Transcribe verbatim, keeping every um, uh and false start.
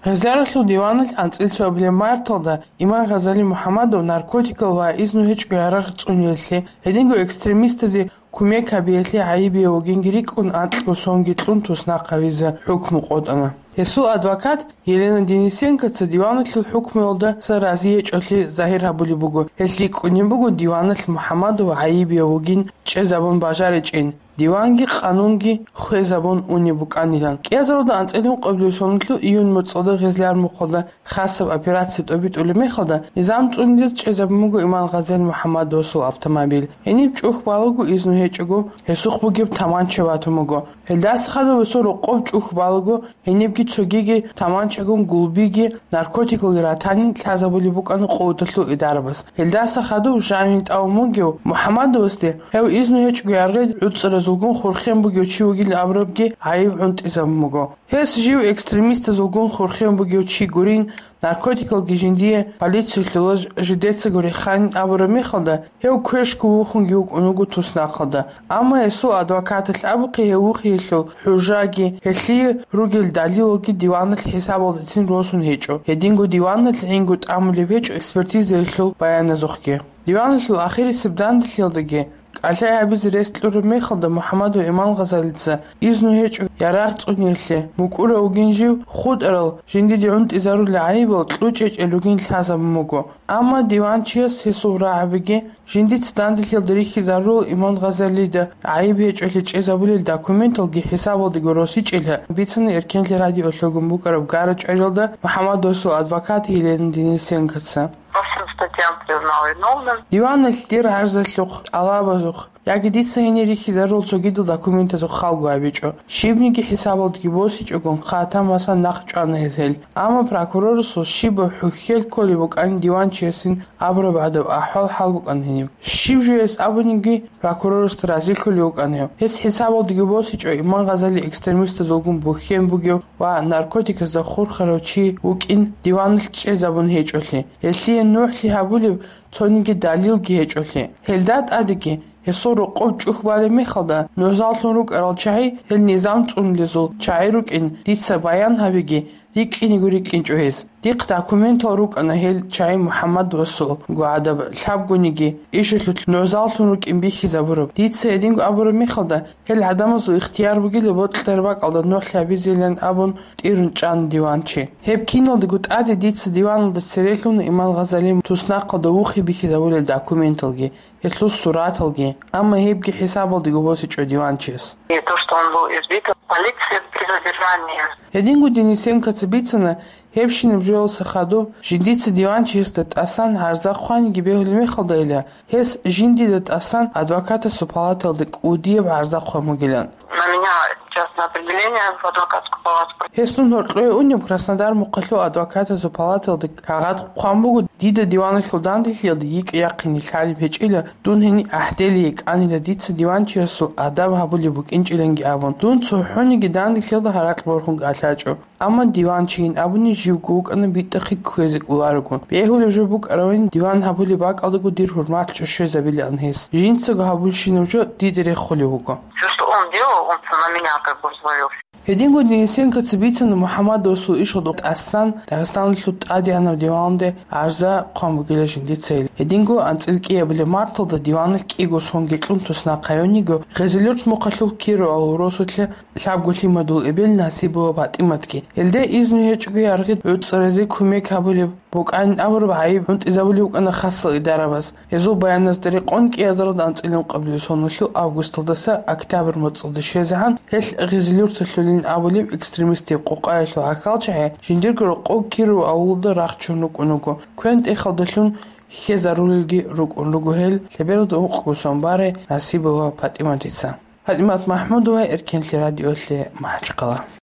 Гъезаралъул диваналъ анцӀил цо абилеб марталда Иман Гъазали МухӀаммадов наркотикал ва изну гьечӀго ярагъ цӀуниялъе, гьединго экстремистазе кумек гьабиялъе гӀайибияв вугинги рикӀкӀун анкьго сонги кьун туснахъ гьавизе хӀукму къотӀана. Гьесул адвокат Елена Денисенкоца диваналъул хӀукмуялдаса рази гьечӀолъи загьир гьабулеб буго, гьелъ рикӀкӀунеб буго диваналъ МухӀаммадов гӀайибияв вугин чӀезабун бажаричӀин, диванги къанунги хвезабун унеб букӀанилан. КӀиазаралда анцӀил ункъабилеб соналъул июнь моцӀалда гъезлъи армухъалда хасаб операция тӀобитӀулеб мехалда, низам цӀунизе чӀезабун буго Иман Гъазали МухӀаммадовасул автомобиль. Гьениб чӀухь балаго изну гьечӀого гьесухъ бугеб таманча батун буго. Гьелдаса хадуб гьесул рокъоб чӀухь балаго, гьенибги цогиги таманчагун гулбиги, наркотикалги ратани лъазабулеб букӀана къуваталъул идарабаз. Гьелдаса хадуб жанив тӀамун бугев МухӀаммадовасде гьев изну гьечӀого ярагъ гӀуцӀаразулгун хурхен бугев чи вугилан абурабги гӀайиб гӀунтӀизабун буго. Гьес жив экстремистазулгун хурхен бугев чи гурин, наркотикалги жиндие полициялъула ж-, жидецаго реханин абураб мехалда, гьев квешго вухунги вукӀун вуго туснахъалда. Амма гьесул адвокаталъ абухъе гьев вухиялъул хӀужаги, гьелъие ругел далилалги диваналъ хӀисабалдецин росун гьечӀо. Гьединго диваналъ гӀинго тӀамулеб гьечӀо экспертизаялъул баяназухъги. Диваналъул ахирисеб данделъиялдаги кӀалъай гьабизе рес кьураб мехалда МухӀаммадов Иман Гъазалица изну гьечӀо ярагъ цӀуниялъе, мукӀурав вугин жив, хутӀарал жиндиде гӀунтӀизарулел гӀайибал кьучӀечӀел ругин лъазабун буго. Амма диванчияс гьесул рагӀабиги, жиндица данделъиялда рихьизарурал Иман Гъазалида гӀайиб гьечӀолъи чӀезабулел документалги хӀисабалдаго росичӀила, бицана Эркенлъи радиолъугун букӀараб гара-чӀвариялда МухӀаммадовасул адвокат Елена Денисенкоца. По всем статьям признал виновным. Диваналъ дир гӀарзалъухъ, тӀалабазухъ, яги дица гьенир рихьизарул цогидал документазухъ халгу гьабичӀо. Щибниги хӀисабалдаги босичӀогон, хъатамасан нахъ чӀвана гьез гьел. Амма прокурорасул щибаб хӀухьел кколеб букӀанин диванчиясин абураб гӀадаб ахӀвал-хӀал букӀана гьениб. Щиб жо гьес абуниги, прокурорасда разилъулев вукӀана гьев. Гьес хӀисабалдаги босичӀо Иман Гъазали экстремистазулгун бухьен бугев ва наркотиказда хурхарав чи вукӀин диваналъ чӀезабун гьечӀолъи. Гьелъие нугӀлъи гьабулеб цониги далилги гьечӀолъи. Гьелда тӀадеги, гьесул рокъоб чӀухь балеб мехалда, нузаллъун рукӀарал чагӀи гьел низам цӀунилезул чагӀи рукӀин дица баян гьабиги, рикӀкӀинего рикӀкӀинчӀо гьез. Дихъ документал рукӀана гьел чагӀи МухӀаммадовасул гӀадаб лъабгониги ишалъулъ нузаллъун рукӀин бихьизабураб. Дица гьединго абураб мехалда, гьел гӀадамазул ихтияр бугила бокьараб бакӀалда нугӀлъи гьабизейилан абун тӀирун чӀана диванчи. Гьеб киналдаго тӀаде дица диваналда церелъун Иман Гъазали туснахъалда вухи бихьизабулел документалги, гьелъул сураталги, амма гьебги хӀисабалдаго босичӀо диванчияс. И то, что он был избит полицией при задержании. Гьединго Денисенкоца бицана, гьебщинаб жоялдаса хадуб жиндица диванчиясда тӀасан гӀарза хъваниги бегьулеб мехалдайила, гьес жиндида тӀасан адвокатасул палаталда кӀудияб гӀарза хъван бугилан. На меня сейчас на определение в адвокатскую палату. Гьес дун гьоркьое унеб Краснодар мухъалъул адвокатазул палаталда кагъат хъван буго, дида диваналъул данделъиялда йикӀ-яхъине лъалеб гьечӀила, дун гьениб гӀахӀдели йикӀанила, дица диванчиясул адаб гьабулеб букӀинчӀиланги абун. Дун цохӀониги данделъиялда гьаракь борхун кӀалъачӀо. Амма диванчийин абуни живго вукӀана битӀахъе кквезе кӀоларого. Бегьулеб жо букӀаравин диван гьабулеб бакӀалдаго дир хӀурмат чӀущезабилаан гьес. Жинцаго гьабулщинаб жо дида рехулев вуго. Всё, что он делал, он на меня как бы взвалился. Гьединго Денисенкоца бицана МухӀаммадовасул ишалда тӀасан Дагъистаналъул тӀадегӀанав диванде гӀарза хъван бугила жиндицайил. Гьединго анцӀил кӀиабилеб марталда диваналъ кӀиго сонги кьун туснахъ гьавиниго Гъезилюрт мухъалъул Киров авул росулъа лъабго лъимадул эбел Насибова ПатӀиматги. Гьелде изну гьечӀого ярагъ гӀуцӀаразе кумек гьабулеб букӀанин абураб гӀайиб гӀунтӀизабулеб букӀана хасал идарабаз. Гьезул баяназда рекъон кӀиазаралда анцӀил ункъабилеб соналъул августалдаса октябрь моцӀалде щвезегӀан гьелъ Гъезилюрталъулин абулеб экстремистияб къокъаялъул гӀахьалчагӀи жиндирго рокъов Киров авулалда рахчун рукӀун вуго, квен-тӀехалдалъун хьезарулелги рукӀун руго гьел, лъебералда ункъго сон барай Насибова ПатӀиматица. ПатӀимат МахӀмудова, Эркенлъи радиолъе, МахӀачхъала.